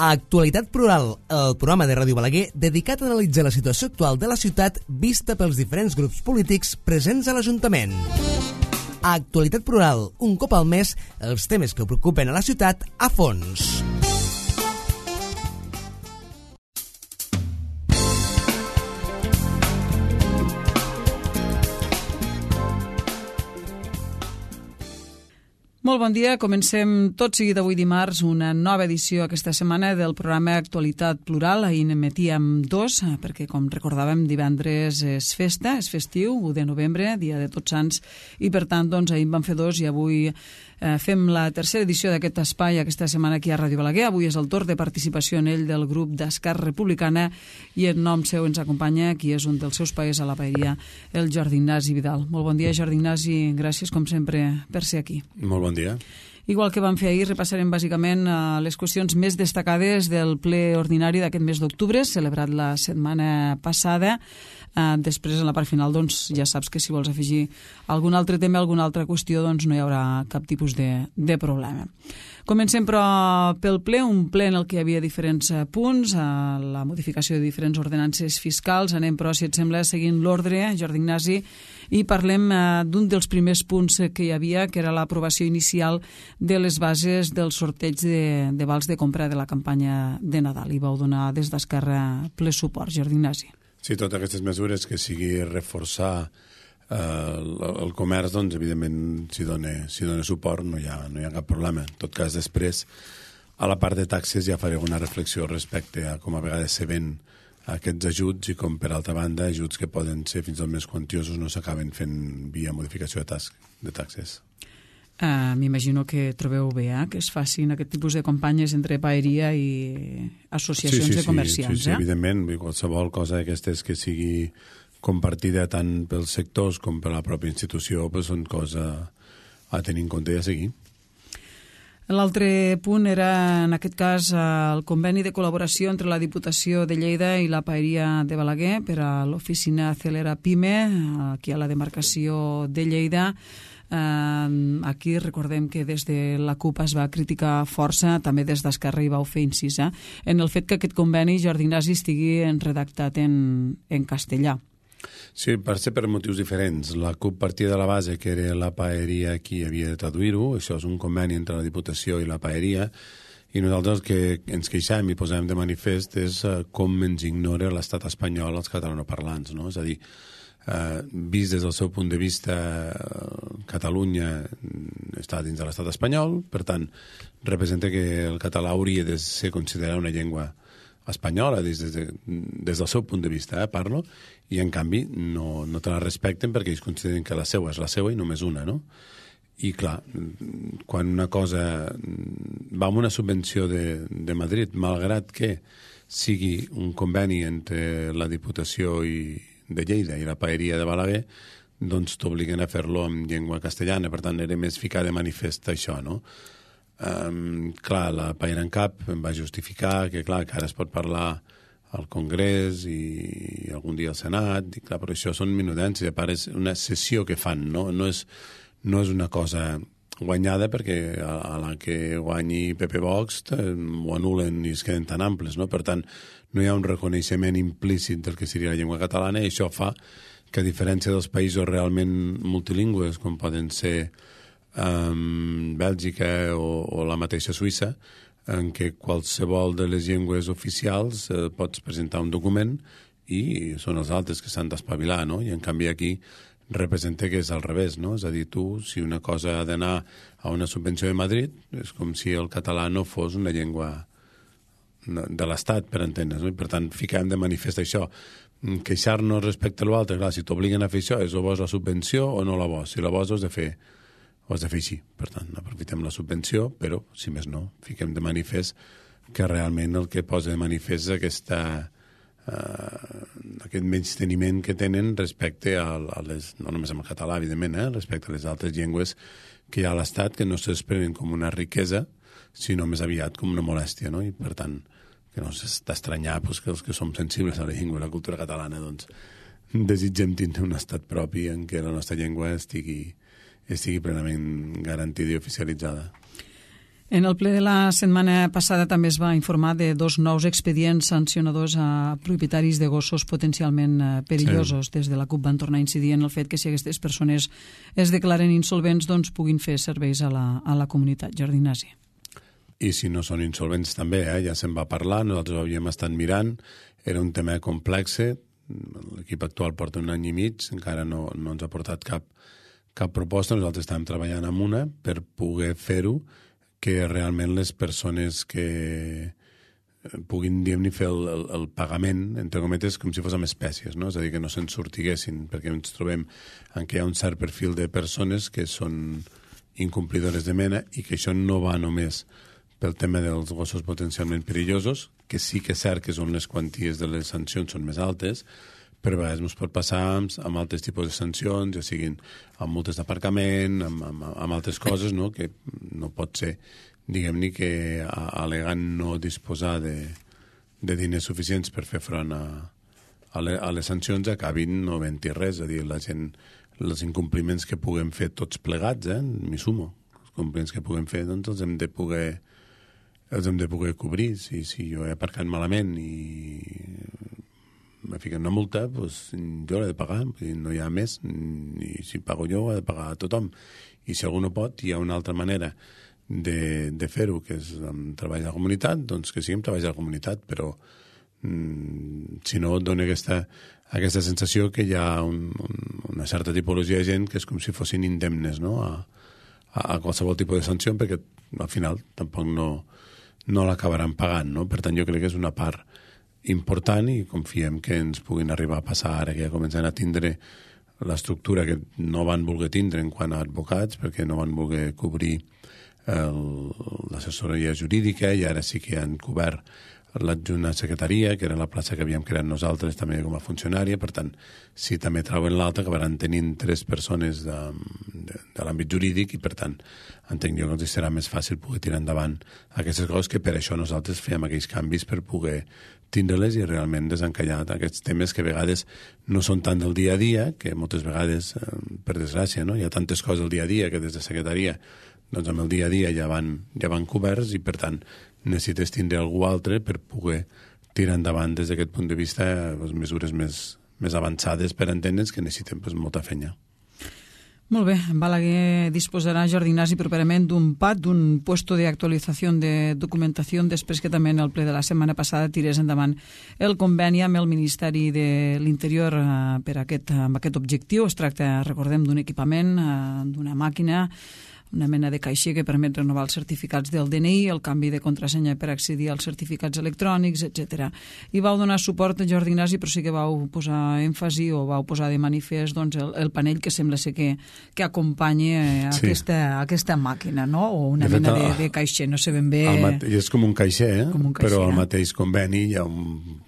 Actualitat Plural, el programa de Ràdio Balaguer dedicat a analitzar la situació actual de la ciutat vista pels diferents grups polítics presents a l'Ajuntament. Actualitat Plural, un cop al mes, els temes que preocupen a la ciutat a fons. Molt bon dia, comencem tot seguit avui dimarts una nova edició aquesta setmana del programa Actualitat Plural. Ahir n'emetíem dos, perquè com recordàvem divendres és festa, és festiu, 1 de novembre, dia de Tots Sants, i per tant doncs, ahir en vam fer dos i avui fem la tercera edició d'aquest espai aquesta setmana aquí a Ràdio Balaguer. Avui és el torn de participació en ell del grup d'Esquerra Republicana i en nom seu ens acompanya qui és un dels seus paers a la paeria, el Jordi Ignasi Vidal. Molt bon dia, Jordi Ignasi, gràcies com sempre per ser aquí. Molt bon dia. Igual que vam fer ahir, repassarem bàsicament les qüestions més destacades del ple ordinari d'aquest mes d'octubre, celebrat la setmana passada. Després, en la part final, doncs, ja saps que si vols afegir algun altre tema, alguna altra qüestió, doncs no hi haurà cap tipus de problema. Comencem, però, pel ple, un ple en el que hi havia diferents punts, la modificació de diferents ordenances fiscals. Anem, però, si et sembla, seguint l'ordre, Jordi Ignasi, i parlem d'un dels primers punts que hi havia, que era l'aprovació inicial de les bases del sorteig de vals de compra de la campanya de Nadal. I vau donar des d'Esquerra ple suport, Jordi Ignasi. Sí, totes aquestes mesures que sigui reforçar el comerç, doncs, evidentment, si dona suport no hi ha cap problema. En tot cas, després, a la part de taxes ja faré una reflexió respecte a com a vegades se ven aquests ajuts i com, per altra banda, ajuts que poden ser fins i tot més quantiosos no s'acaben fent via modificació de taxes. M'imagino que trobeu bé que es facin aquest tipus de campanyes entre paeria i associacions de comerciants. Sí, evidentment. Qualsevol cosa d'aquestes que sigui compartida tant pels sectors com per la pròpia institució són coses a tenir en compte i a seguir. L'altre punt era, en aquest cas, el conveni de col·laboració entre la Diputació de Lleida i la paeria de Balaguer per a l'oficina Celera Pime, aquí a la demarcació de Lleida. Aquí recordem que des de la CUP es va criticar força, també des d'Esquerra hi vau fer incís, en el fet que aquest conveni, Jordi Ignasi, estigui redactat en castellà. Sí, per motius diferents. La CUP partia de la base que era la paeria qui havia de traduir-ho. Això és un conveni entre la Diputació i la paeria, i nosaltres el que ens queixem i posem de manifest és com ens ignora l'estat espanyol els catalanoparlants, no? És a dir, vist des del seu punt de vista, Catalunya està dins de l'estat espanyol, per tant, representa que el català hauria de ser considerat una llengua espanyola des del seu punt de vista, parlo, i en canvi no te la respecten perquè ells consideren que la seva és la seva i només una, no? I clar, quan una cosa va amb una subvenció de Madrid, malgrat que sigui un conveni entre la Diputació de Lleida i la paeria de Balaguer, doncs t'obliguen a fer-lo en llengua castellana. Per tant, era més ficar de manifest això, no? Clar, la Paera en Cap em va justificar que ara es pot parlar al Congrés i algun dia al Senat, i clar, però això són minudències, a part és una sessió que fan, no és una cosa guanyada, perquè a la que guanyi Pepe Vox ho anulen i es queden tan amples, no? Per tant, no hi ha un reconeixement implícit del que seria la llengua catalana, i això fa que, a diferència dels països realment multilingües, com poden ser Bèlgica o la mateixa Suïssa, en què qualsevol de les llengües oficials pots presentar un document i són els altres que s'han d'espavilar, no? I en canvi aquí representa que és al revés, no? És a dir, tu, si una cosa ha d'anar a una subvenció de Madrid, és com si el català no fos una llengua de l'Estat, per entendre's, no? I per tant, fiquem de manifest això. Queixar-nos respecte a l'altre, clar, si t'obliguen a fer això, és o vols la subvenció o no la vols. Si la vols, ho has de fer així. Per tant, aprofitem la subvenció, però, si més no, fiquem de manifest que realment el que posa de manifest és aquest menysteniment que tenen respecte a les, no només amb el català, evidentment, respecte a les altres llengües que hi ha a l'Estat, que no s'exprenen com una riquesa, sinó més aviat com una molèstia, no? I, per tant, que no s'ha d'estranyar que els que som sensibles a la llengua i la cultura catalana, doncs, desitgem tindre un estat propi en què la nostra llengua estigui plenament garantida i oficialitzada. En el ple de la setmana passada també es va informar de 2 nous expedients sancionadors a propietaris de gossos potencialment perillosos. Des de la CUP van tornar a incidir en el fet que si aquestes persones es declaren insolvents doncs puguin fer serveis a la comunitat. Jordi Ignasi. I si no són insolvents també, ja se'n va parlar, nosaltres ho havíem estat mirant, era un tema complex, l'equip actual porta 1 any i mig, encara no ens ha portat cap proposta, nosaltres estàvem treballant amb una per poder fer-ho, que realment les persones que puguin, diguem-ne, fer el pagament, entre cometes, com si fos amb espècies, no? És a dir, que no se'n sortiguessin, perquè ens trobem en què hi ha un cert perfil de persones que són incomplidores de mena i que això no va només pel tema dels gossos potencialment perillosos, que sí que és cert que són les quanties de les sancions són més altes, però a vegades ens pot passar amb altres tipus de sancions, ja siguin amb multes d'aparcament, amb altres coses, no? Que no pot ser, diguem-ne, que alegant no disposar de diners suficients per fer front a les sancions acabin no havent-hi res, és a dir, la gent, els incompliments que puguem fer tots plegats, m'hi sumo, els incompliments que puguem fer, doncs els hem de poder cobrir. Si jo he aparcat malament i me fiquen una multa, doncs jo l'he de pagar, no hi ha més, i si pago jo ho ha de pagar a tothom. I si algú no pot, hi ha una altra manera de fer-ho, que és amb treball de la comunitat, doncs que sigui amb treball de la comunitat, però si no et dona aquesta sensació que hi ha una certa tipologia de gent que és com si fossin indemnes, no? a qualsevol tipus de sanció, perquè al final tampoc no l'acabaran pagant, no? Per tant, jo crec que és una part important i confiem que ens puguin arribar a passar ara que ja comencen a tindre l'estructura que no van voler tindre en quant a advocats, perquè no van voler cobrir l'assessoria jurídica i ara sí que han cobert l'adjunt a secretaria, que era la plaça que havíem creat nosaltres també com a funcionària. Per tant, si també trauen l'alta, acabaran tenint 3 persones de l'àmbit jurídic i, per tant, entenc jo que els serà més fàcil poder tirar endavant aquestes coses, que per això nosaltres fem aquells canvis per poder tindre-les i realment desencallar aquests temes que a vegades no són tant del dia a dia, que moltes vegades, per desgràcia, no? Hi ha tantes coses del dia a dia que des de secretaria, doncs amb el dia a dia ja van coberts i, per tant, necessites tindre algú altre per poder tirar endavant des d'aquest punt de vista mesures més avançades per entendre'ns que necessitem molta feina. Molt bé, Balaguer disposarà, Jordi Ignasi, properament d'un PAD, d'un puesto de actualització de documentació, després que també en el ple de la setmana passada tirés endavant el conveni amb el Ministeri de l'Interior amb aquest objectiu. Es tracta, recordem, d'un equipament, d'una màquina, una mena de caixer que permet renovar els certificats del DNI, el canvi de contrasenya per accedir als certificats electrònics, etc. I vau donar suport a Jordi Ignasi, però sí que vau posar èmfasi o vau posar de manifest doncs, el panell que sembla ser que acompanya aquesta màquina, no? O una mena de caixer, no sé ben bé... És com un caixer, però al mateix conveni hi ha un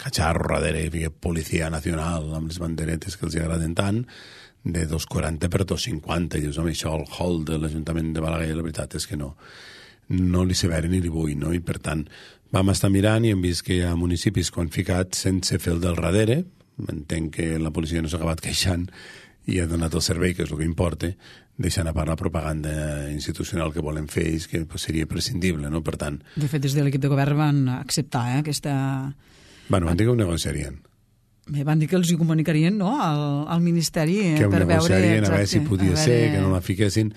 catxarro darrere, policia nacional, amb les banderetes que els agraden tant, de 2,40 per 2,50, i dius, home, això al hall de l'Ajuntament de Balaguer, la veritat és que no li severa ni li vull, no? I per tant, vam estar mirant i hem vist que hi ha municipis que han ficat sense fer el del darrere, entenc que la policia no s'ha acabat queixant i ha donat el servei, que és el que importa, deixant a part la propaganda institucional que volen fer ells, que seria prescindible, no? Per tant... De fet, des de l'equip de govern van acceptar aquesta... Bueno, van dir que ho negociarien. Bé, van dir que els hi comunicarien, no?, al Ministeri que per veure... Que ho negociarien, a veure si podia ser, que no la fiquessin...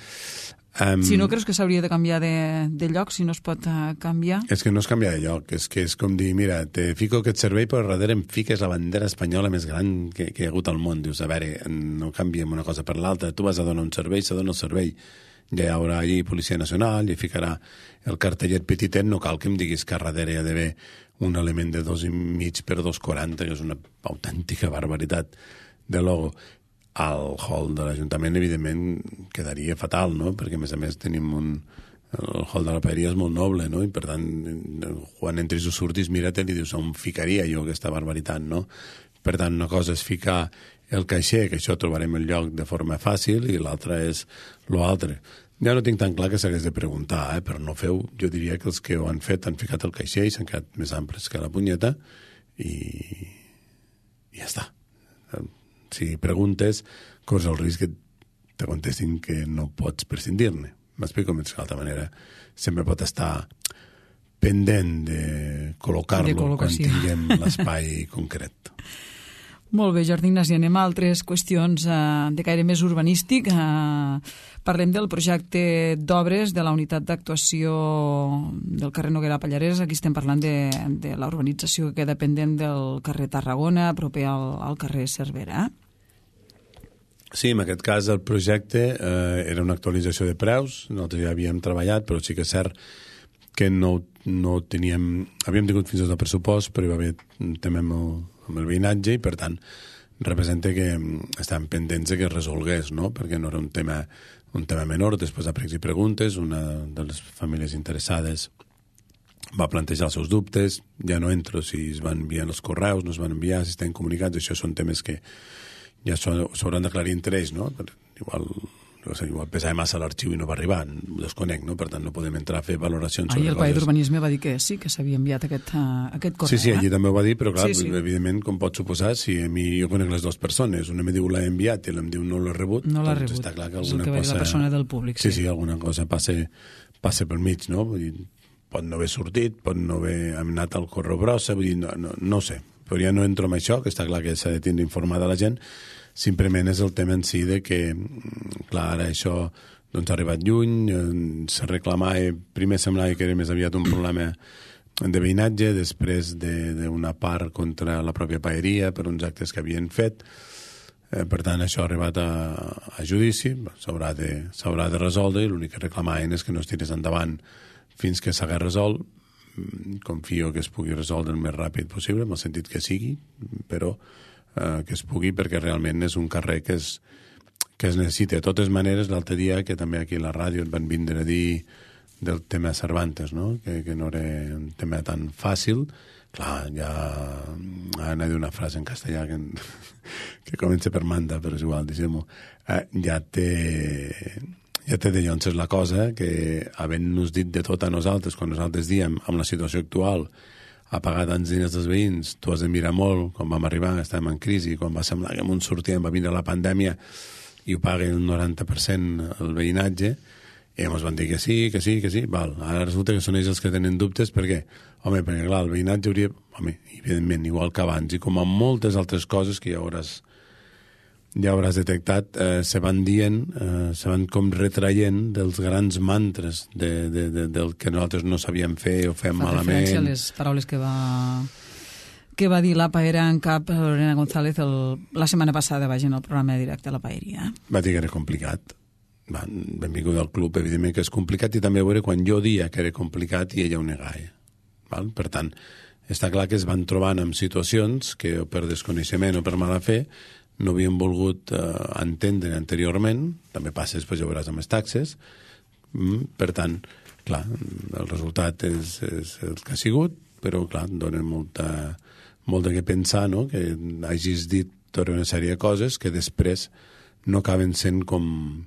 Si no creus que s'hauria de canviar de lloc, si no es pot canviar? És que no es canvia de lloc, és que és com dir, mira, te fico aquest servei, però darrere em fiques la bandera espanyola més gran que hi ha hagut al món. Dius, a veure, no canviem una cosa per l'altra, tu vas a donar un servei, se dona el servei. Ja hi haurà allí Policia Nacional, ja ficarà el cartellet petitet, no cal que em diguis que darrere hi ha d'haver un element de 2,5 per 2,40, que és una autèntica barbaritat de logo. Al hall de l'Ajuntament, evidentment, quedaria fatal, no? Perquè, a més, tenim el hall de la paeria és molt noble, no? I, per tant, quan entris o surtis, mira-te'l i dius, on ficaria jo aquesta barbaritat, no? Per tant, una cosa és ficar el caixer, que això trobarem el lloc de forma fàcil, i l'altra és l'altre. Ja no tinc tan clar que s'hagués de preguntar, però no feu, jo diria que els que ho han fet han ficat el caixer i s'han quedat més amples que la punyeta i ja està. Si preguntes, corres el risc que te contestin que no pots prescindir-ne. m'explico més d'altra manera. Sempre pot estar pendent de col·locar-lo quan tinguem l'espai concret. Molt bé, Jordi Ignasi, anem a altres qüestions de caire més urbanístic. Parlem del projecte d'obres de la unitat d'actuació del carrer Noguera Pallarès. Aquí estem parlant de la urbanització que queda pendent del carrer Tarragona, proper al carrer Cervera. Sí, en aquest cas el projecte era una actualització de preus. Nosaltres ja havíem treballat, però sí que és cert que no teníem... Havíem tingut fins i tot el pressupost, però hi va haver un tema amb el veïnatge i, per tant, representa que estàvem pendents que es resolgués, no? Perquè no era un tema menor. Després de pregs i preguntes, una de les famílies interessades va plantejar els seus dubtes. Ja no entro si es van enviar els correus, no es van enviar, si estan comunicats. Això són temes que ja s'hauran d'aclarir entre ells, no? Igual pesava massa l'arxiu i no va arribar, ho desconec, no? Per tant no podem entrar a fer valoracions sobre el Pla d'Urbanisme va dir que sí, que s'havia enviat aquest correu. Sí, allí també ho va dir, però clar, evidentment, com pot suposar, si a mi jo conec les dues persones, una em diu l'ha enviat i l'em diu no l'ha rebut, doncs està clar que alguna cosa... És el que va dir la persona del públic, sí. Sí, alguna cosa passa pel mig, no? Vull dir, pot no haver sortit, pot no haver anat al correu brossa, vull dir, no sé, però ja no entro en això, que està clar que s'ha de tindre informada la gent. Simplement és el tema en si de que, clar, ara això doncs, ha arribat lluny, se reclamava, primer semblava que era més aviat un problema de veïnatge, després d'una part contra la pròpia paeria per uns actes que havien fet. Per tant, això ha arribat a judici, s'haurà de resoldre i l'únic que reclamaven és que no es tirés endavant fins que s'hagués resolt. Confio que es pugui resoldre el més ràpid possible, en el sentit que sigui, però que es pugui, perquè realment és un carrer que es necessita. De totes maneres, l'altre dia, que també aquí a la ràdio et van vindre a dir del tema Cervantes, no? Que no era un tema tan fàcil. Clar, ja anava a dir una frase en castellà que comença per manda, però és igual, diguem-ho. Ja té de llonces la cosa, que havent-nos dit de tot a nosaltres, quan nosaltres diem, amb la situació actual, a pagar tants diners dels veïns, tu has de mirar molt, quan vam arribar, estàvem en crisi, quan va semblar que ens sortíem, va vindre la pandèmia i ho paga el 90% el veïnatge, i ens van dir que sí. Val. Ara resulta que són ells els que tenen dubtes, per què? Home, perquè clar, el veïnatge hauria... Home, evidentment, igual que abans, i com amb moltes altres coses que ja hauràs detectat, se van dient, se van com retraient dels grans mantres del que nosaltres no sabíem fer o fem malament. Fa referència a les paraules que va dir la Paera en cap Lorena González la setmana passada, en el programa directe a la Paeria. Va dir que era complicat. Benvingut al club, evidentment que és complicat, i també a veure quan jo dia que era complicat i ella ho negava. Per tant, està clar que es van trobant en situacions que o per desconeixement o per mala fe no havien volgut entendre anteriorment. També passa després, ja veuràs, amb les taxes. Per tant, clar, el resultat és el que ha sigut, però clar, dona molt de què pensar, no? Que hagis dit tota una sèrie de coses que després no acaben sent com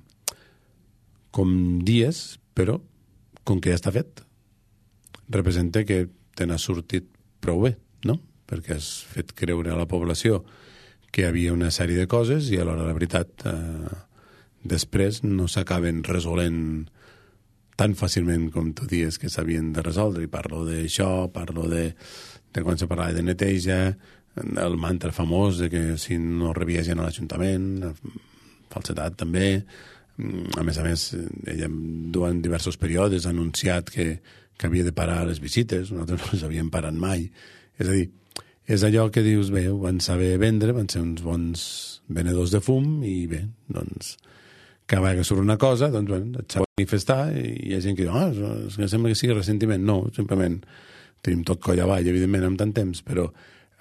dies, però com que ja està fet, representa que te n'ha sortit prou bé, no? Perquè has fet creure a la població que hi havia una sèrie de coses i alhora la veritat després no s'acaben resolent tan fàcilment com tu dius que s'havien de resoldre. I parlo d'això, parlo de quan se parlava de neteja, el mantra famós de que si no rebia gent a l'Ajuntament, falsedat també. A més, ella durant diversos períodes ha anunciat que havia de parar les visites, nosaltres no les havíem parat mai. És a dir, és allò que dius, bé, ho van saber vendre, van ser uns bons venedors de fum i bé, doncs, cada vegada que surt una cosa, doncs, bueno, et s'ha de manifestar i hi ha gent que diu, és que sembla que sigui ressentiment. No, simplement tenim tot coll avall, evidentment, amb tant temps, però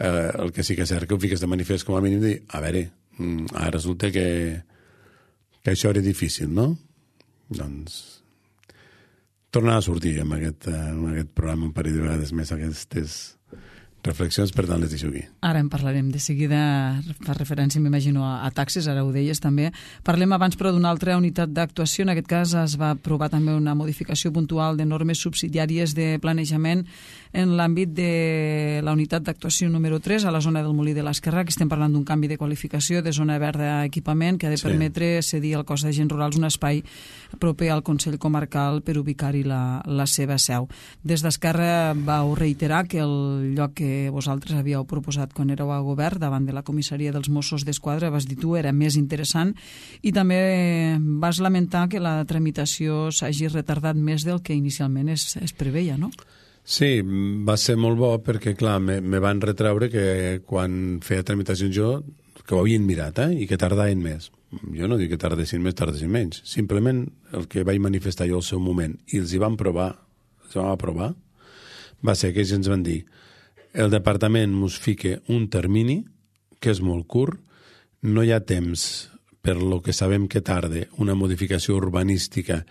el que sí que és cert que ho fiques de manifest com a mínim dir, a veure, ara resulta que això era difícil, no? Doncs tornar a sortir amb aquest programa un parell de vegades més aquestes reflexions, per tant les deixo aquí. Ara en parlarem de seguida, fa referència, m'imagino, a taxes, ara ho deies també. Parlem abans, però, d'una altra unitat d'actuació. En aquest cas es va aprovar també una modificació puntual de normes subsidiàries de planejament en l'àmbit de la unitat d'actuació número 3 a la zona del Molí de l'Esquerra, que estem parlant d'un canvi de qualificació de zona verda a equipament que ha de permetre cedir al cos d'agents rurals un espai proper al Consell Comarcal per ubicar-hi la seva seu. Des d'Esquerra vau reiterar que el lloc que vosaltres havíeu proposat quan éreu a govern davant de la comissaria dels Mossos d'Esquadra, vas dir tu, era més interessant, i també vas lamentar que la tramitació s'hagi retardat més del que inicialment es preveia, no? Sí, va ser molt bo perquè, clar, me van retreure que quan feia tramitacions jo, que ho havien mirat, i que tardaven més. Jo no dic que tardessin més, tardessin menys. Simplement el que vaig manifestar jo al seu moment i els hi vam aprovar, va ser que ells ens van dir: el departament mos fica un termini que és molt curt, no hi ha temps per lo que sabem que tarda una modificació urbanística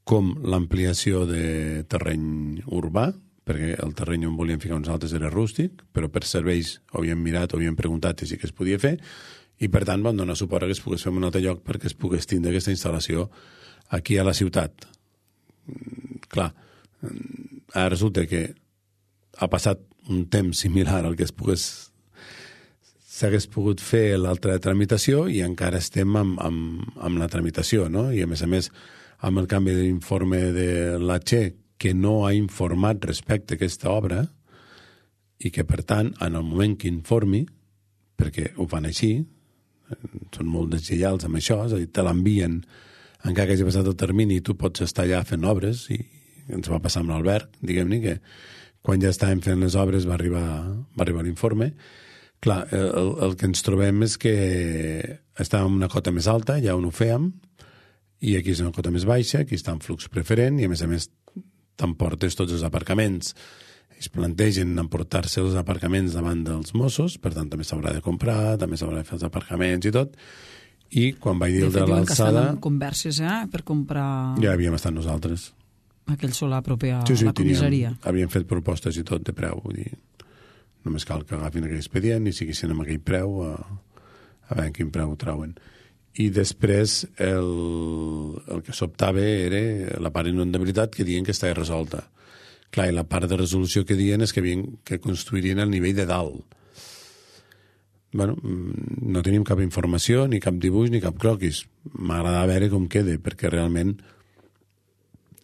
com l'ampliació de terreny urbà, perquè el terreny on volíem ficar uns altres era rústic, però per serveis ho havíem mirat, ho havíem preguntat i sí que es podia fer, i per tant vam donar suport a que es pogués fer en un altre lloc perquè es pogués tindre aquesta instal·lació aquí a la ciutat. Clar, ara resulta que ha passat un temps similar al que s'hagués pogut fer l'altra tramitació i encara estem amb la tramitació, no? I a més, amb el canvi d'informe de la Che, que no ha informat respecte a aquesta obra i que, per tant, en el moment que informi, perquè ho fan així, són molt deslleials amb això, és a dir, te l'envien encara que hagi passat el termini i tu pots estar allà fent obres, i ens va passar amb l'Albert, diguem-ne, que quan ja estàvem fent les obres va arribar l'informe. Clar, el que ens trobem és que estàvem en una cota més alta, ja on ho fèiem, i aquí és una cota més baixa, aquí està en flux preferent, i a més t'emportes tots els aparcaments. Es plantegen emportar-se els aparcaments davant dels Mossos, per tant també s'haurà de comprar, també s'haurà de fer els aparcaments i tot, i quan vaig dir el de l'alçada... De fet, converses, per comprar... Ja havíem estat nosaltres. Aquell solar proper a la comissaria. Havíem fet propostes i tot de preu, vull dir, només cal que agafin aquell expedient i siguessin amb aquell preu a veure quin preu ho trauen. I després el que sobtava era la part d'inundabilitat, que diuen que estava resolta. Clar, i la part de resolució que diuen és que construirien al nivell de dalt. Bueno, no tenim cap informació, ni cap dibuix, ni cap croquis. M'agrada veure com queda, perquè realment,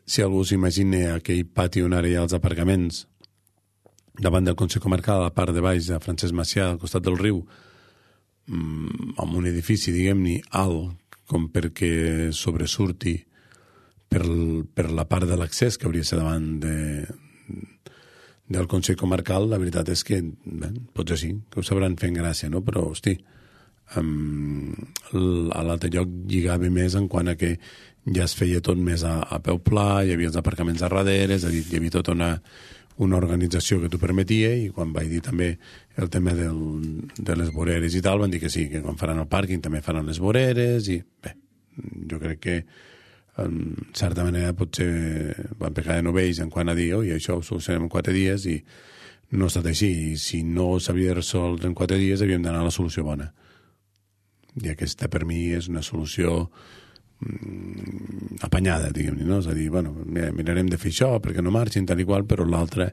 si algú s'imagina aquell pati on ara hi ha els aparcaments davant del Consell Comarcal, a la part de baix de Francesc Macià, al costat del riu, amb un edifici, diguem-ne, alt, com perquè sobresurti per la part de l'accés que hauria de ser davant del Consell Comarcal, la veritat és que, potser sí, que ho sabran fent gràcia, no? Però, hosti, a l'altre lloc lligava més en quant a que ja es feia tot més a peu pla, hi havia els aparcaments a darrere, és a dir, hi havia tota una organització que t'ho permetia, i quan vaig dir també el tema de les voreres i tal, van dir que sí, que quan faran el pàrquing també faran les voreres, i bé, jo crec que en certa manera potser van pecar de novells en quant a dir, i això ho solucionem en 4 dies, i no ha estat així, i si no s'havia de resoldre en 4 dies havíem d'anar a la solució bona. I aquesta per mi és una solució apanyada, diguem-ne, no? És a dir, bueno, mirarem de fer això perquè no marxin, tal i qual, però l'altra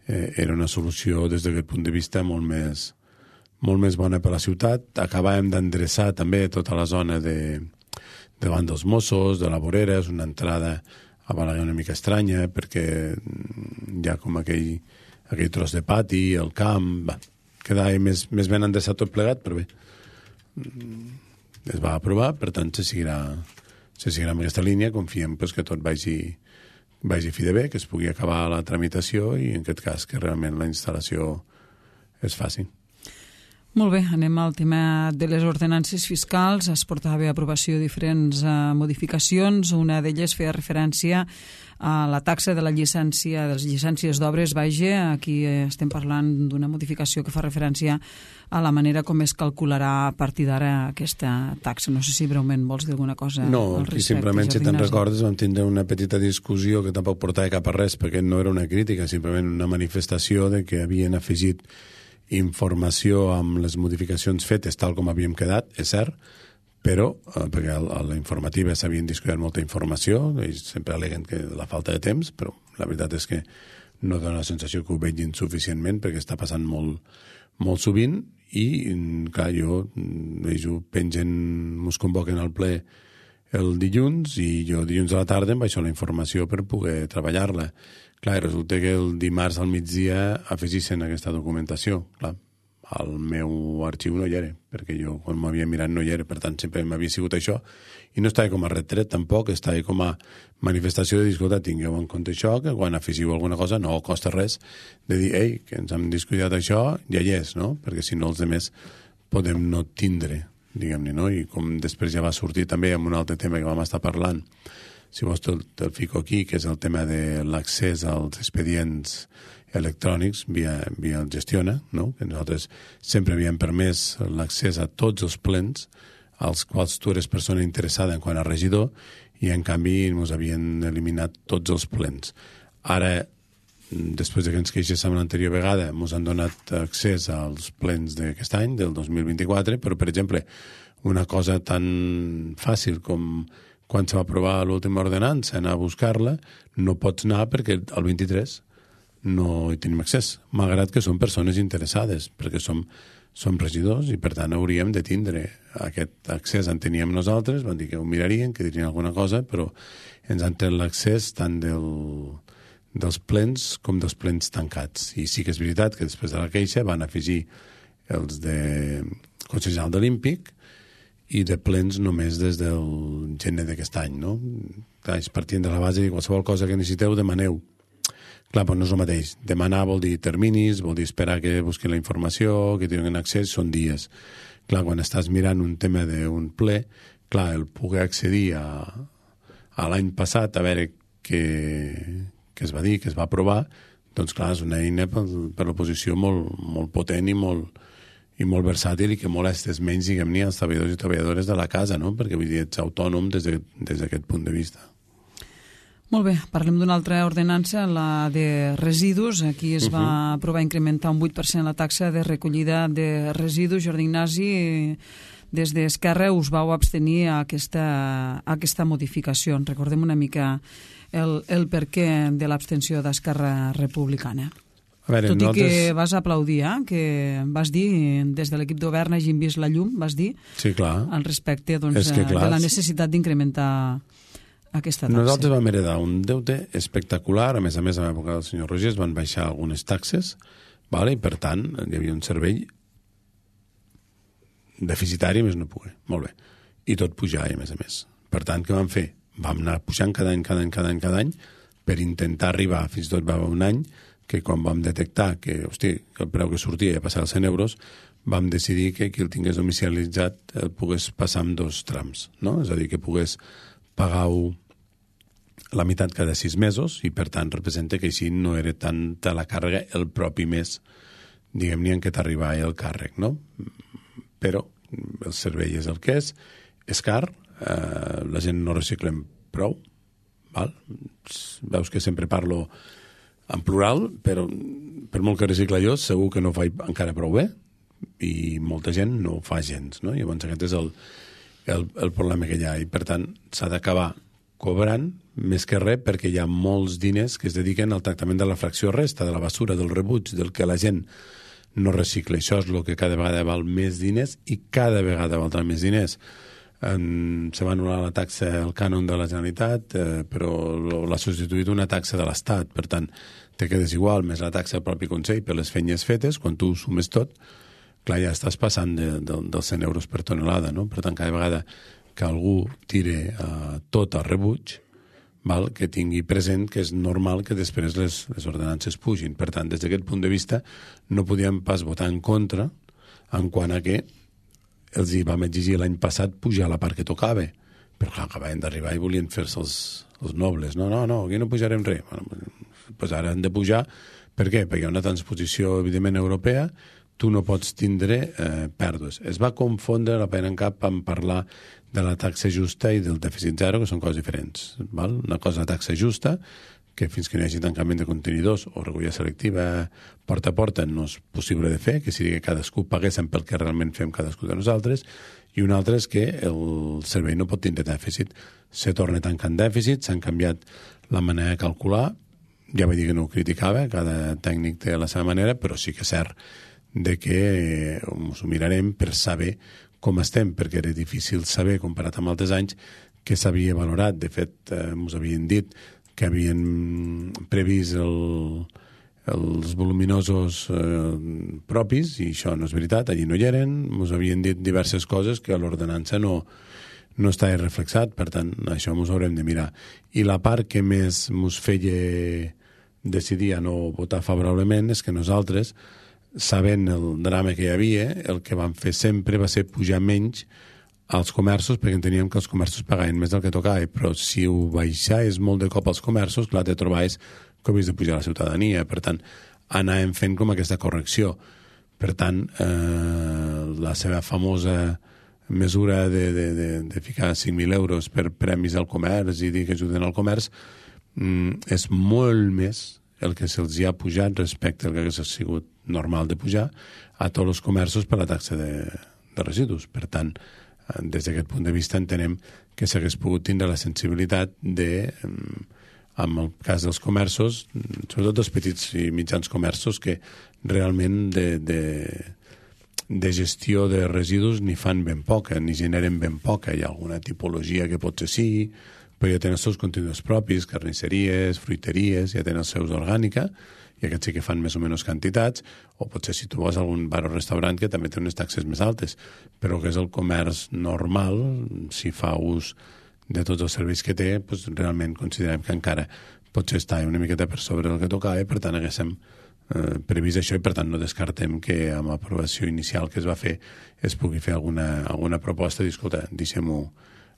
era una solució des d'aquest punt de vista molt més bona per a la ciutat. Acabàvem d'endreçar també tota la zona davant dels Mossos, de la vorera, és una entrada a Balaguer una mica estranya perquè hi ha com aquell tros de pati, el camp, quedava més ben endreçat tot plegat, però bé, es va aprovar, per tant se seguirà amb aquesta línia, confiem que tot vagi fi de bé, que es pugui acabar la tramitació i en aquest cas que realment la instal·lació es faci. Molt bé, anem al tema de les ordenances fiscals. Es portava a aprovació diferents modificacions. Una d'elles feia referència a la taxa de la llicència, de les llicències d'obres. Aquí estem parlant d'una modificació que fa referència a la manera com es calcularà a partir d'ara aquesta taxa. No sé si breument vols dir alguna cosa al respecte. No, simplement, si te'n recordes, vam tindre una petita discussió que tampoc portava cap a res, perquè no era una crítica, simplement una manifestació de que havien afegit informació amb les modificacions fetes tal com havíem quedat, és cert, però perquè a la informativa s'havien discutit molta informació, ells sempre aleguen que la falta de temps, però la veritat és que no dona la sensació que ho vegin suficientment perquè està passant molt, molt sovint i, clar, jo pengen, mos convoquen al ple el dilluns i jo dilluns a la tarda em baixo la informació per poder treballar-la. Clar, resulta que el dimarts al migdia afegissin aquesta documentació. Clar, al meu arxiu no hi era, perquè jo quan m'havia mirat no hi era, per tant sempre m'havia sigut això, i no estava com a retret tampoc, estava com a manifestació de dir, escolta, tingueu en compte això, que quan afegiu alguna cosa no costa res de dir, ei, que ens hem discutit això, ja hi és, no? Perquè si no els altres podem no tindre, diguem-ne, no? I com després ja va sortir també amb un altre tema que vam estar parlant, si vols te'l fico aquí, que és el tema de l'accés als expedients electrònics via el Gestiona, no? Que nosaltres sempre havíem permès l'accés a tots els plens als quals tu eres persona interessada en quant a regidor i en canvi ens havien eliminat tots els plens. Ara, després de que ens queixéssim l'anterior vegada, ens han donat accés als plens d'aquest any, del 2024, però, per exemple, una cosa tan fàcil com quan se va aprovar l'última ordenança, anar a buscar-la, no pots anar perquè el 23 no hi tenim accés, malgrat que som persones interessades, perquè som regidors i per tant hauríem de tindre aquest accés. En teníem nosaltres, van dir que ho mirarien, que dirien alguna cosa, però ens han tret l'accés tant dels plens com dels plens tancats. I sí que és veritat que després de la queixa van afegir els de Consell General Olímpic i de plens només des del gener d'aquest any, no? Clar, partint de la base de qualsevol cosa que necessiteu, demaneu. Clar, però no és el mateix. Demanar vol dir terminis, vol dir esperar que busquin la informació, que tinguin accés, són dies. Clar, quan estàs mirant un tema d'un ple, clar, el poder accedir a l'any passat, a veure què es va dir, què es va aprovar, doncs clar, és una eina per l'oposició molt potent i molt versàtil i que molestes menys, diguem-ne, als treballadors i treballadores de la casa, no? Perquè vull dir, ets autònom des d'aquest punt de vista. Molt bé, parlem d'una altra ordenança, la de residus. Aquí es va aprovar incrementar un 8% la taxa de recollida de residus. Jordi Ignasi, des d'Esquerra us vau abstenir a aquesta modificació. Recordem una mica el perquè de l'abstenció d'Esquerra Republicana. Veure, tot i que vas aplaudir, que vas dir, des de l'equip de govern hagin vist la llum, vas dir, sí, clar, al respecte doncs, de la necessitat d'incrementar aquesta taxa. Nosaltres vam heredar un deute espectacular, a més, a l'època del senyor Roger es van baixar algunes taxes, i per tant hi havia un servei deficitari, més no poder. Molt bé. I tot pujava, a més. Per tant, què vam fer? Vam anar pujant cada any, per intentar arribar, fins i tot va haver un any, que quan vam detectar que el preu que sortia ja passava als 100 euros, vam decidir que qui el tingués domicilitzat el pogués passar en 2 trams, no? És a dir, que pogués pagar la meitat cada 6 mesos i, per tant, representa que així no era tanta la càrrega el propi mes, diguem-ne, en què t'arribava el càrrec, no? Però el servei és el que és car, la gent no reciclem prou, val? Veus que sempre parlo en plural, però per molt que recicla jo, segur que no ho faig encara prou bé i molta gent no ho fa gens, no? Llavors aquest és el problema que hi ha i per tant s'ha d'acabar cobrant més que res perquè hi ha molts diners que es dediquen al tractament de la fracció resta, de la basura, del rebuig, del que la gent no recicla. Això és el que cada vegada val més diners i cada vegada valdrà més diners. Se va anul·lar la taxa, el cànon de la Generalitat, però l'ha substituït una taxa de l'Estat. Per tant, te quedes igual, més la taxa del propi Consell per les feines fetes, quan tu ho sumes tot, clar, ja estàs passant dels 100 euros per tonelada, no? Per tant, cada vegada que algú tire tot al rebuig, que tingui present que és normal que després les ordenances pugin. Per tant, des d'aquest punt de vista, no podíem pas votar en contra en quant a que els hi vam exigir l'any passat pujar la part que tocava, però clar, acabaven d'arribar i volien fer-se els nobles. No, aquí no pujarem res. Bueno, pues ara han de pujar. Per què? Perquè hi ha una transposició, evidentment, europea, tu no pots tindre pèrdues. Es va confondre la pena en cap en parlar de la taxa justa i del dèficit zero, que són coses diferents. Val? Una cosa la taxa justa, que fins que no hi hagi tancament de contenidors o recollida selectiva porta a porta no és possible de fer, que sigui que cadascú paguéssim pel que realment fem cadascú de nosaltres, i una altra és que el servei no pot tindre dèficit. Se torna tancant dèficit, s'han canviat la manera de calcular, ja vaig dir que no ho criticava, cada tècnic té la seva manera, però sí que és cert de que ens ho mirarem per saber com estem, perquè era difícil saber, comparat amb altres anys, que s'havia valorat. De fet, ens havien dit que havien previst els voluminosos propis, i això no és veritat, allí no hi eren, ens havien dit diverses coses que a l'ordenança no estava reflexat, per tant, això ens haurem de mirar. I la part que més ens feia decidir a no votar favorablement és que nosaltres, sabent el drama que hi havia, el que vam fer sempre va ser pujar menys als comerços, perquè enteníem que els comerços pagaven més del que tocava, però si ho baixaves molt de cop als comerços, clar, te trobaves que havies de pujar a la ciutadania. Per tant, anàvem fent com aquesta correcció. Per tant, la seva famosa mesura de ficar 5.000 euros per premis al comerç i dir que ajuden al comerç és molt més el que se'ls ha pujat respecte al que hagués sigut normal de pujar a tots els comerços per la taxa de residus. Per tant, des d'aquest punt de vista entenem que s'hagués pogut tindre la sensibilitat de, en el cas dels comerços, sobretot dels petits i mitjans comerços, que realment de gestió de residus ni fan ben poca, ni generen ben poca. Hi ha alguna tipologia que potser sí, però ja tenen els seus continguts propis, carnisseries, fruiteries, ja tenen els seus orgànica, i aquests sí que fan més o menys quantitats, o potser si tu vas a algun bar o restaurant que també té unes taxes més altes, però que és el comerç normal, si fa ús de tots els serveis que té, doncs realment considerem que encara potser està una miqueta per sobre del que tocava, per tant haguéssim previst això, i per tant no descartem que amb l'aprovació inicial que es va fer es pugui fer alguna proposta i dir, escolta, deixem-ho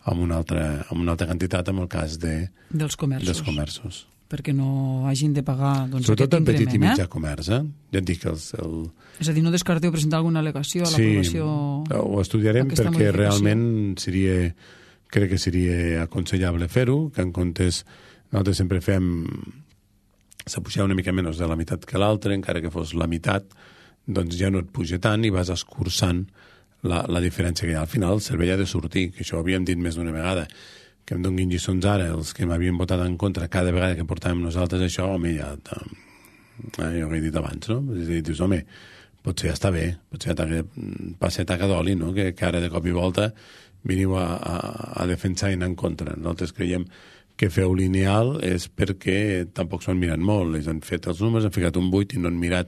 amb una altra quantitat en el cas dels comerços. Perquè no hagin de pagar sobretot el petit i mitjà comerç, Ja et dic que és a dir, no descarteu presentar alguna al·legació a l'aprovació? Sí, ho estudiarem perquè realment crec que seria aconsellable fer-ho, que en comptes nosaltres sempre fem s'ha pujat una mica menys de la meitat que l'altra, encara que fos la meitat, doncs ja no et puja tant i vas escurçant la diferència que hi ha. Al final el servei ha de sortir, que això ho havíem dit més d'una vegada, que em donguin lliçons ara els que m'havien votat en contra cada vegada que portàvem nosaltres això, home, ja ho he dit abans, no? És a dir, dius, home, potser ja està bé, potser ja passa taca d'oli, no? Que ara de cop i volta veniu a defensar i anar en contra. Nosaltres creiem que feu lineal és perquè tampoc s'ho han mirat molt. Ells han fet els números, han ficat un 8 i no han mirat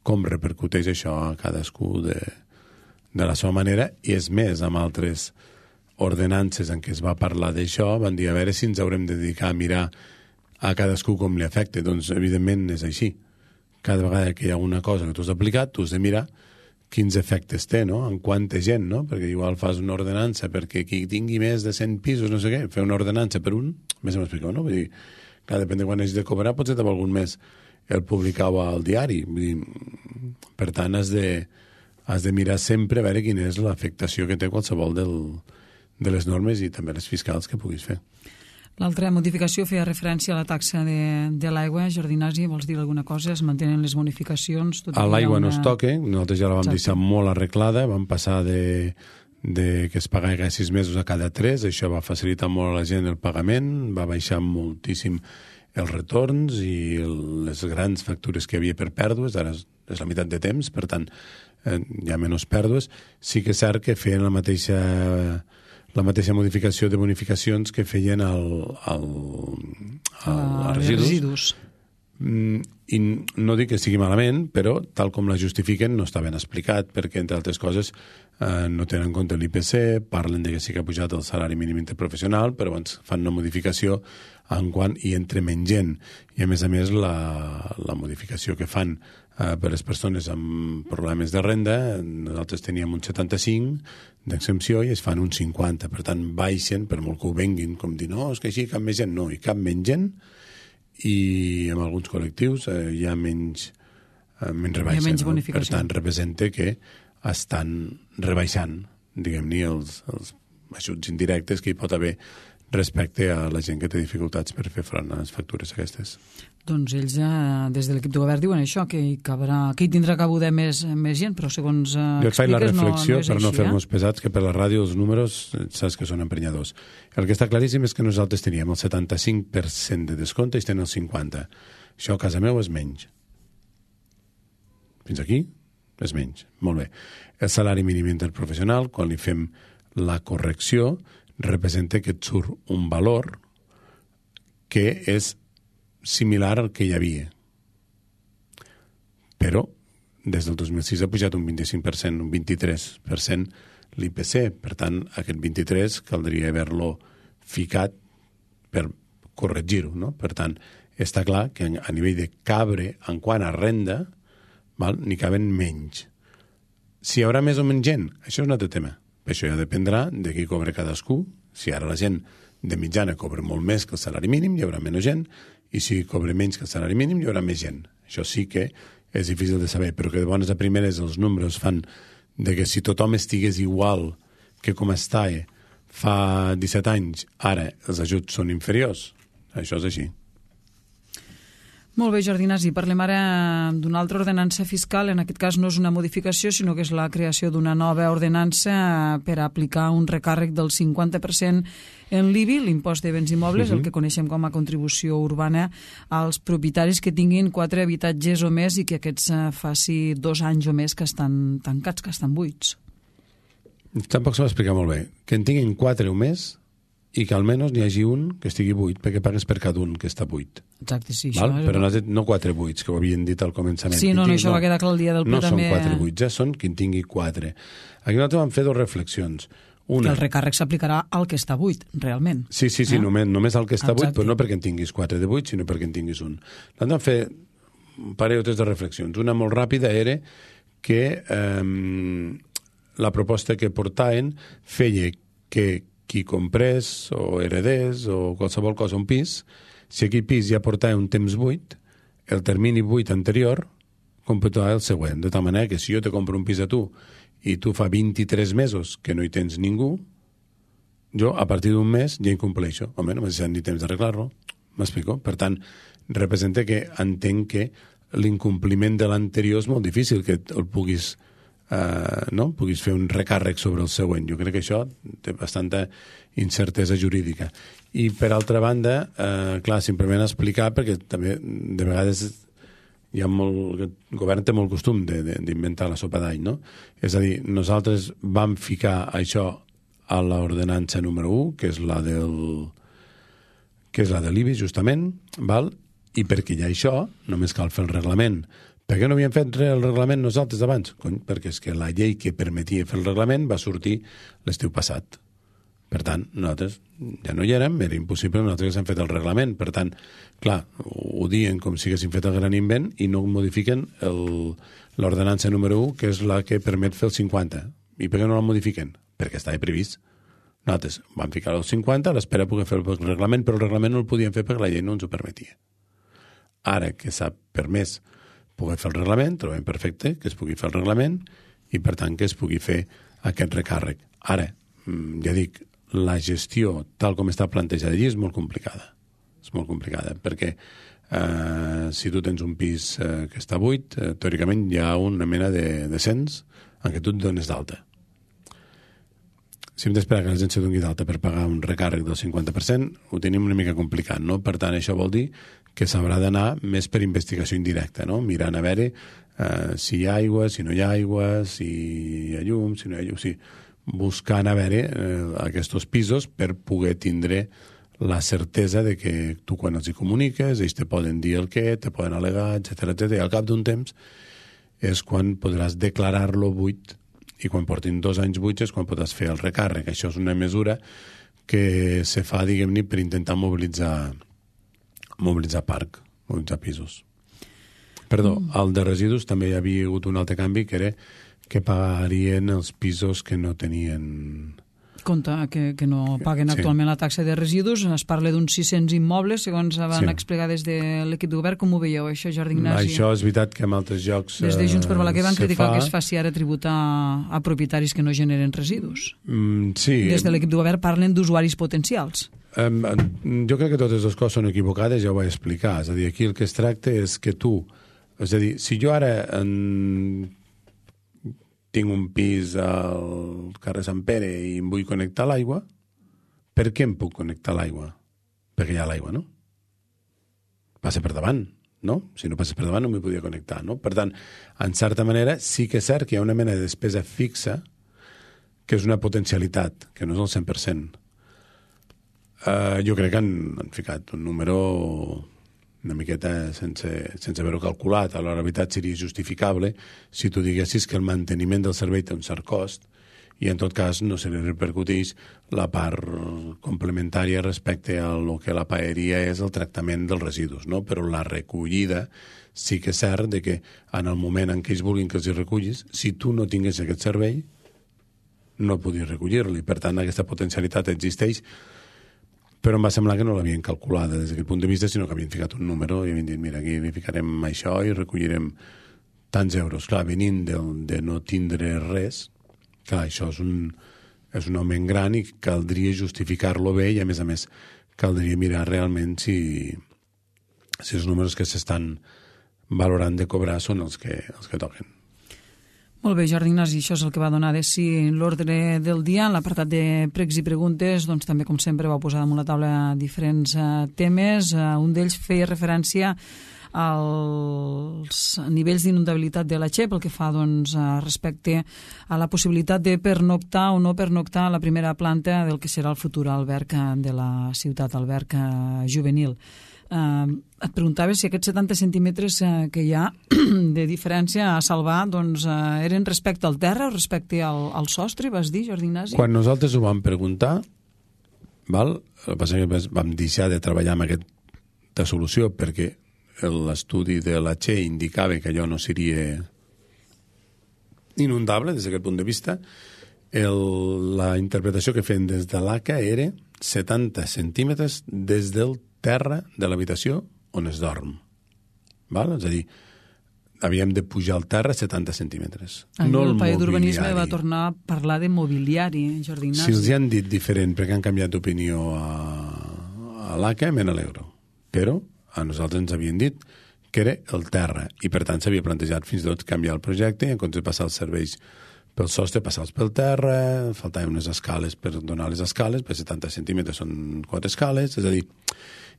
com repercuteix això a cadascú de la seva manera, i és més, amb altres ordenances en què es va parlar d'això, van dir a veure si ens haurem de dedicar a mirar a cadascú com li afecta. Doncs, evidentment, és així. Cada vegada que hi ha una cosa que tu has aplicat, tu has de mirar quins efectes té, no? En quanta gent, no? Perquè igual fas una ordenança perquè qui tingui més de 100 pisos, no sé què, fer una ordenança per un, més o menys explicau, no? Vull dir, clar, depèn de quan hagis de cobrar, potser te val algun mes el publicar-ho al diari. Vull dir, per tant, has de mirar sempre a veure quina és l'afectació que té qualsevol de les normes i també les fiscals que puguis fer. L'altra modificació feia referència a la taxa de l'aigua. Jordi Nasi, vols dir alguna cosa? Es mantenen les bonificacions? A l'aigua no es toca, nosaltres ja la vam deixar molt arreglada, vam passar de que es pagava 6 mesos a cada 3, això va facilitar molt a la gent el pagament, va baixar moltíssim els retorns i les grans factures que hi havia per pèrdues, ara és la meitat de temps, per tant hi ha menys pèrdues. Sí que és cert que feien la mateixa modificació de bonificacions que feien a residus. I no dic que sigui malament, però tal com la justifiquen no està ben explicat, perquè, entre altres coses, no tenen en compte l'IPC, parlen de que sí que ha pujat el salari mínim interprofessional, però abans fan una modificació en quan hi entre menys gent. I, a més, la modificació que fan per les persones amb problemes de renda, nosaltres teníem un 75 d'exempció i es fan un 50. Per tant, baixen, per molt que ho venguin, com dir, no, és que així cap més gent. No, hi cap menys gent, i en alguns col·lectius hi ha menys rebaixa. Hi ha menys bonificació. Per tant, representa que estan rebaixant, diguem-ne, els ajuts indirectes que hi pot haver respecte a la gent que té dificultats per fer front a les factures aquestes. Doncs ells, des de l'equip de govern, diuen això, que hi tindrà cabuda més gent, però segons jo faig la reflexió, no és per no així, fer-nos pesats, que per la ràdio els números saps que són emprenyadors. El que està claríssim és que nosaltres teníem el 75% de descompte i tenen el 50%. Això a casa meu és menys. Fins aquí és menys. Molt bé. El salari mínim interprofessional, quan li fem la correcció, representa que et surt un valor que és similar al que hi havia. Però des del 2006 ha pujat un 25%, un 23% l'IPC. Per tant, aquest 23 caldria haver-lo ficat per corregir-ho, no? Per tant, està clar que a nivell de cabre, en quant a renda, n'hi caben menys. Si hi haurà més o menys gent, això és un altre tema. Això ja dependrà de qui cobra cadascú. Si ara la gent de mitjana cobra molt més que el salari mínim, hi haurà menys gent, i si cobra menys que el salari mínim, hi haurà més gent. Això sí que és difícil de saber, però que de bones a primeres els números fan de que si tothom estigués igual que com estava fa 17 anys, ara els ajuts són inferiors. Això és així. Molt bé, Jordi Nasi, parlem ara d'una altra ordenança fiscal. En aquest cas no és una modificació, sinó que és la creació d'una nova ordenança per aplicar un recàrrec del 50% en l'IBI, l'impost de béns immobles, el que coneixem com a contribució urbana, als propietaris que tinguin 4 habitatges o més i que aquests faci 2 anys o més que estan tancats, que estan buits. Tampoc s'ho va explicar molt bé. Que en tinguin 4 o més i que almenys n'hi hagi un que estigui buit, perquè pagues per cada un que està buit. Exacte, sí. Val? Però no 4 buits, que ho havien dit al començament. Sí, no, això va quedar clar el dia del ple no també. No són 4 buits, són qui en tingui 4. Aquí nosaltres vam fer 2 reflexions. Una, el recàrrec s'aplicarà al que està buit, realment. Sí, només al que està buit, però no perquè en tinguis 4 de buit, sinó perquè en tinguis un. Nosaltres vam fer un parell o 3 de reflexions. Una molt ràpida era que la proposta que portaven feia que qui comprés o heredés o qualsevol cosa un pis, si aquell pis ja portava un temps buit, el termini buit anterior computava el següent. De tal manera que si jo te compro un pis a tu i tu fa 23 mesos que no hi tens ningú, jo a partir d'un mes ja incompleixo. Home, no m'ha deixat ni temps d'arreglar-lo. M'explico? Per tant, representa que entenc que l'incompliment de l'anterior és molt difícil que el puguis puguis fer un recàrrec sobre el següent. Jo crec que això té bastanta incertesa jurídica. I, per altra banda, clar, simplement explicar, perquè també de vegades hi ha el govern té molt costum d'inventar la sopa d'all, no? És a dir, nosaltres vam ficar això a l'ordenança número 1, que és la de l'IBI, justament, val? I perquè hi ha això, només cal fer el reglament. Per què no havíem fet el reglament nosaltres abans? Cony, perquè és que la llei que permetia fer el reglament va sortir l'estiu passat. Per tant, nosaltres ja no hi érem, era impossible, nosaltres hem fet el reglament. Per tant, clar, ho diuen com si haguessin fet el gran invent i no modifiquen l'ordenança número 1, que és la que permet fer el 50. I per què no la modifiquen? Perquè estava previst. Nosaltres vam ficar el 50 a l'espera de poder fer el reglament, però el reglament no el podíem fer perquè la llei no ens ho permetia. Ara que s'ha permès poder fer el reglament, trobem perfecte que es pugui fer el reglament i, per tant, que es pugui fer aquest recàrrec. Ara, ja dic, la gestió, tal com està plantejada allí, és molt complicada. És molt complicada, perquè si tu tens un pis que està buit, teòricament hi ha una mena de cens en què tu et dones d'alta. Si hem d'esperar que la gent se doni d'alta per pagar un recàrrec del 50%, ho tenim una mica complicat, no? Per tant, això vol dir que s'haurà d'anar més per investigació indirecta, no? Mirant a veure si hi ha aigua, si no hi ha aigua, si hi ha llum, si no hi ha llum, buscant a veure aquests pisos per poder tindre la certesa de que tu quan els hi comuniques, ells te poden dir el què, te poden al·legar, etc. I al cap d'un temps és quan podràs declarar-lo buit, i quan portin 2 anys buits és quan podràs fer el recàrrec. Això és una mesura que se fa, diguem-ne, per intentar mobilitzar parc, mobilitzar pisos. Perdó, al de residus també hi havia hagut un altre canvi, que era que pagarien els pisos que no tenien... Compte, que no paguen actualment la taxa de residus. Es parla d'uns 600 immobles, segons van explicar des de l'equip de govern. Com ho veieu, això, Jordi Ignasi? Això és veritat que en altres llocs des de Junts per Balaguer van criticar que es faci ara tributar a propietaris que no generen residus. Sí. Des de l'equip de govern parlen d'usuaris potencials. Jo crec que totes les coses són equivocades, ja ho vaig explicar. És a dir, aquí el que es tracta és que tu... És a dir, si jo ara tinc un pis al carrer Sant Pere i em vull connectar a l'aigua, per què em puc connectar a l'aigua? Perquè hi ha l'aigua, no? Passa per davant, no? Si no passa per davant no m'hi podia connectar, no? Per tant, en certa manera, sí que és cert que hi ha una mena de despesa fixa que és una potencialitat, que no és el 100%. Jo crec que han ficat un número una miqueta sense haver-ho calculat. A la veritat seria justificable si tu diguessis que el manteniment del servei té un cert cost i en tot cas no se li repercuteix la part complementària respecte a lo que la paeria és el tractament dels residus, no? Però la recollida sí que és cert de que en el moment en què ells vulguin que els hi recullis, si tu no tingués aquest servei no podies recollir-li. Per tant, aquesta potencialitat existeix, però em va semblar que no l'havien calculada des d'aquest punt de vista, sinó que havien ficat un número i havien dit, mira, aquí li ficarem això i recollirem tants euros. Clar, venint de no tindre res, clar, això és un augment gran i caldria justificar-lo bé i, a més, caldria mirar realment si els números que s'estan valorant de cobrar són els que toquen. Molt bé, Jordi Ignasi, això és el que va donar de si l'ordre del dia. En l'apartat de pregs i preguntes, doncs també, com sempre, vau posar damunt la taula diferents temes. Un d'ells feia referència als nivells d'inundabilitat de la Che, pel que fa doncs, respecte a la possibilitat de pernoctar o no pernoctar a la primera planta del que serà el futur alberg de la ciutat, alberg juvenil. Et preguntava si aquests 70 centímetres que hi ha de diferència a salvar doncs, eren respecte al terra o respecte al sostre, vas dir, Jordi Ignasi? Quan nosaltres ho vam preguntar, el que passa que vam deixar de treballar amb aquesta solució perquè l'estudi de la Che indicava que allò no seria inundable des d'aquest punt de vista. La interpretació que feien des de l'ACA era 70 centímetres des del terra de l'habitació on es dorm. Val? És a dir, havíem de pujar al terra 70 centímetres. El paio d'urbanisme va tornar a parlar de mobiliari, Jordi Ignasi. Si els hi han dit diferent perquè han canviat d'opinió a l'ACA, me n'alegro. Però a nosaltres ens havien dit que era el terra i per tant s'havia plantejat fins i tot canviar el projecte i en comptes de passar els serveis pel sostre, passar-los pel terra, faltaven unes escales per donar les escales, per 70 centímetres són 4 escales, és a dir,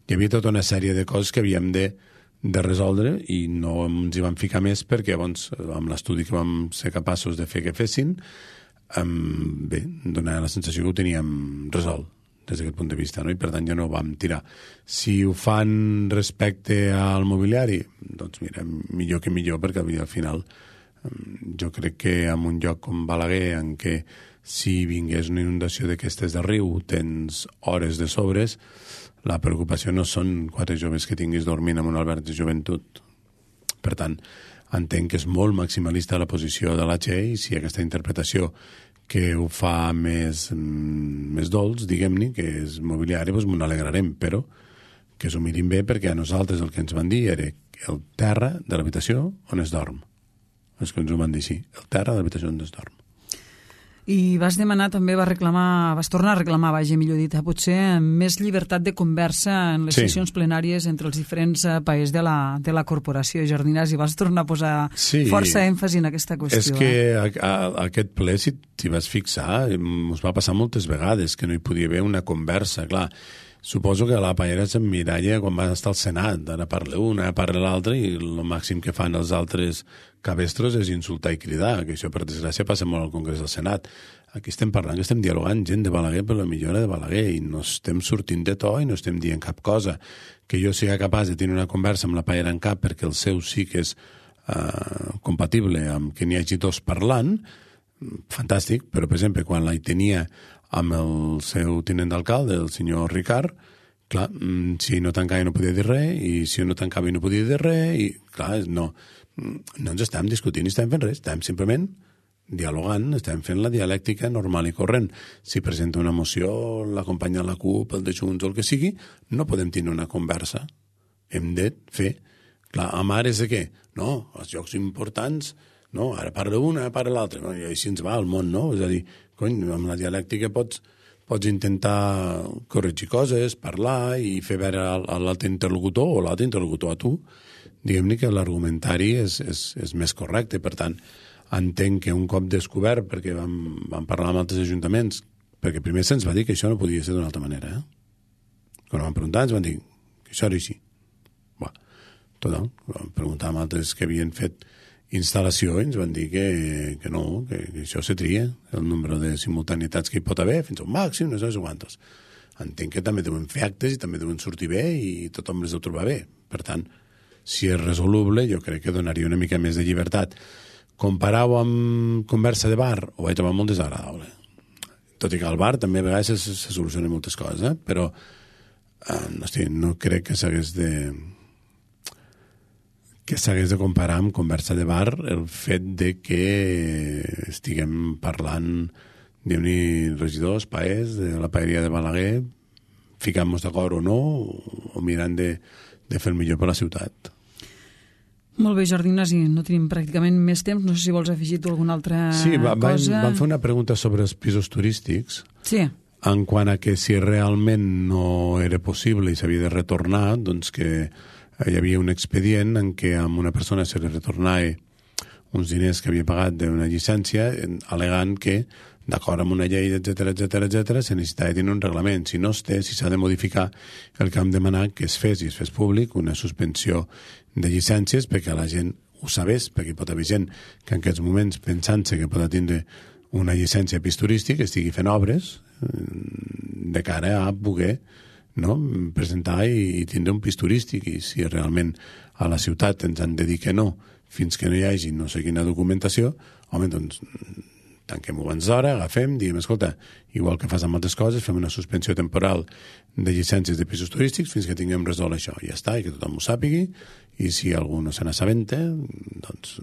hi havia tota una sèrie de coses que havíem de resoldre i no ens hi vam ficar més perquè llavors, amb l'estudi que vam ser capaços de fer que fessin, bé, donava la sensació que ho teníem resolt des d'aquest punt de vista, no? I per tant ja no ho vam tirar. Si ho fan respecte al mobiliari, doncs mira, millor que millor, perquè al final jo crec que en un lloc com Balaguer, en què si vingués una inundació d'aquestes de riu tens hores de sobres, la preocupació no són 4 joves que tinguis dormint en un alberg de joventut. Per tant, entenc que és molt maximalista la posició de la Che i si aquesta interpretació que ho fa més dolç, diguem-ne, que és mobiliari, doncs m'ho alegrarem, però que s'ho mirin bé perquè a nosaltres el que ens van dir era el terra de l'habitació on es dorm. És que ens ho van dir així, el terra de l'habitació on es dorm. I vas demanar també, vas tornar a reclamar, millor dit, potser més llibertat de conversa en les sessions plenàries entre els diferents paers de la corporació. Jordi Ignasi, vas tornar a posar força èmfasi en aquesta qüestió. És que aquest ple, si t'hi vas fixar, ens va passar moltes vegades que no hi podia haver una conversa. Clar, suposo que la paella s'emmiralla quan va estar al Senat, ara parla una, ara parla l'altra, i el màxim que fan els altres cabestros és insultar i cridar, que això per desgràcia passa molt al Congrés del Senat. Aquí estem parlant, que estem dialogant gent de Balaguer per la millora de Balaguer, i no estem sortint de to i no estem dient cap cosa. Que jo sigui capaç de tenir una conversa amb la paella en cap perquè el seu sí que és compatible amb que n'hi hagi dos parlant, fantàstic, però per exemple quan la tenia amb el seu tinent d'alcalde, el senyor Ricard, clar, si no tancava no podia dir res, i si no tancava no podia dir res, i clar, no ens estem discutint ni estem fent res, estem simplement dialogant, estem fent la dialèctica normal i corrent. Si presenta una moció, l'acompanya la CUP, el de Junts o el que sigui, no podem tenir una conversa. Hem de fer. Clar, amb ara és de què? No, els llocs importants, no, ara parla una, ara parla l'altra, no? I així ens va el món, no? És a dir, cony, amb la dialèctica pots intentar corregir coses, parlar i fer veure l'altre interlocutor o l'altre interlocutor a tu. Diguem-ne que l'argumentari és més correcte, per tant, entenc que un cop descobert, perquè vam parlar amb altres ajuntaments, perquè primer se'ns va dir que això no podia ser d'una altra manera. Quan vam preguntar ens van dir que això era així. Total, vam preguntar amb altres que havien fet instal·lació i ens van dir que no, que això se tria, el nombre de simultanietats que hi pot haver, fins a un màxim, no sé quantos. Entenc que també deuen fer actes i també deuen sortir bé i tothom les deu trobar bé. Per tant, si és resoluble, jo crec que donaria una mica més de llibertat. Comparar-ho amb conversa de bar, ho vaig trobar molt desagradable. Tot i que al bar també a vegades se solucionen moltes coses, però no crec que s'hagués de comparar amb conversa de bar el fet de que estiguem parlant diguem-ne regidors, paers de la paeria de Balaguer, ficant-nos d'acord o no, o mirant de fer el millor per la ciutat. Molt bé, Jordi Ignasi, no tenim pràcticament més temps. No sé si vols afegir tu alguna altra cosa. Sí, vam fer una pregunta sobre els pisos turístics. Sí. En quant a que si realment no era possible i s'havia de retornar, doncs que hi havia un expedient en què a una persona se li retornava uns diners que havia pagat d'una llicència al·legant que, d'acord amb una llei, etc, se necessitava tenir un reglament. Si no es té, si s'ha de modificar, el que hem demanat que es fes públic una suspensió de llicències perquè la gent ho sabés, perquè hi pot haver gent que en aquests moments, pensant-se que pot tindre una llicència de pis turístic, estigui fent obres de cara a poder presentar i tindre un pis turístic, i si realment a la ciutat ens han de dir que no fins que no hi hagi no sé quina documentació, home, doncs tanquem-ho abans d'hora, agafem, diguem, escolta, igual que fas amb altres coses, fem una suspensió temporal de llicències de pisos turístics fins que tinguem resolt això, i ja està, i que tothom ho sàpigui, i si algú no se n'assabenta, doncs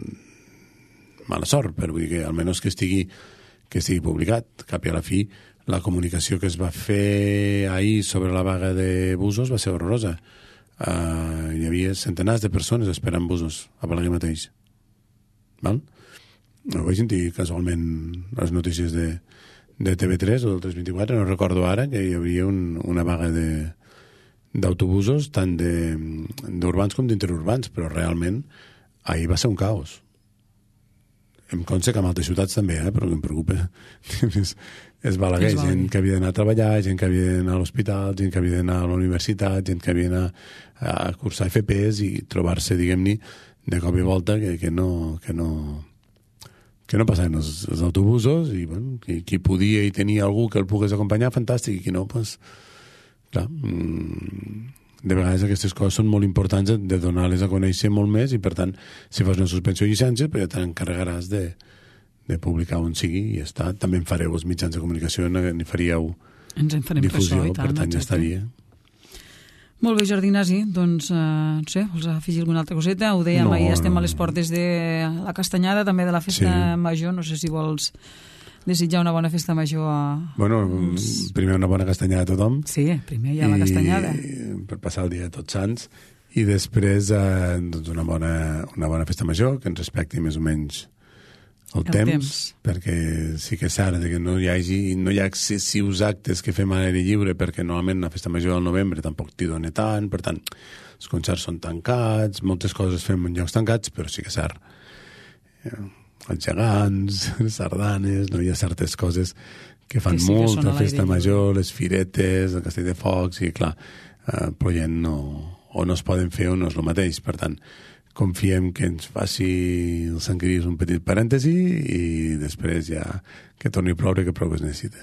mala sort, però vull dir que almenys que estigui publicat. Cap i a la fi, la comunicació que es va fer ahir sobre la vaga de busos va ser horrorosa. Hi havia centenars de persones esperant busos a Balaguer mateix. Val? Ho vaig sentir casualment les notícies de TV3 o del 324, no recordo ara, que hi havia una vaga d'autobusos tant d'urbans com d'interurbans, però realment ahir va ser un caos. Em consta que en altres ciutats també, però el que em preocupa és Balaguer, gent que havia d'anar a treballar, gent que havia d'anar a l'hospital, gent que havia d'anar a la universitat, gent que havia d'anar a cursar FPs i trobar-se, diguem-ne, de cop i volta que no passaven els autobusos i bueno, qui podia i tenia algú que el pogués acompanyar, fantàstic, i qui no, doncs, clar, de vegades aquestes coses són molt importants de donar-les a conèixer molt més, i per tant, si fas una suspensió de llicències, ja t'encarregaràs de publicar on sigui, i ja està. També en fareu els mitjans de comunicació, n'hi faríeu difusió, per tant ja estaria. Molt bé, Jordi Ignasi, doncs, no sé, vols afegir alguna altra coseta? Ho dèiem, ahir estem a les portes de la Castanyada, també de la Festa Major, no sé si vols desitjar una bona Festa Major a... Bueno, primer una bona castanyada a tothom. Sí, primer hi ha la castanyada. Per passar el dia de Tots Sants, i després doncs una bona Festa Major, que ens respecti més o menys el temps, perquè sí que és ara que no hi ha excessius actes que fem a l'aire lliure, perquè normalment la Festa Major del novembre tampoc t'hi dona tant, per tant, els concerts són tancats, moltes coses fem en llocs tancats, però sí que és ara. Els gegants, les sardanes, no hi ha certes coses que fan molta festa major, les firetes, el castell de focs, i clar, però ja no es poden fer o no és el mateix. Per tant, confiem que ens faci el Sant Cris un petit parèntesi i després ja que torni a ploure, que prou es necessita.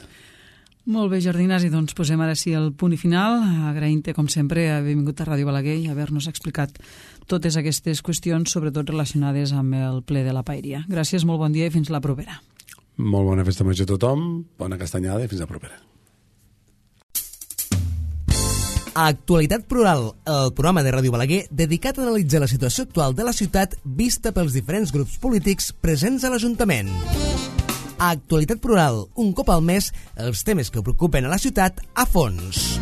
Molt bé, Jordi Ignasi, doncs posem ara sí el punt i final, agraint-te com sempre haver vingut a Ràdio Balaguer i haver-nos explicat totes aquestes qüestions, sobretot relacionades amb el ple de la paeria. Gràcies, molt bon dia i fins la propera. Molt bona festa major a tothom, bona castanyada i fins la propera. Actualitat Plural, el programa de Ràdio Balaguer dedicat a analitzar la situació actual de la ciutat vista pels diferents grups polítics presents a l'Ajuntament. Actualitat Plural, un cop al mes, els temes que preocupen a la ciutat a fons.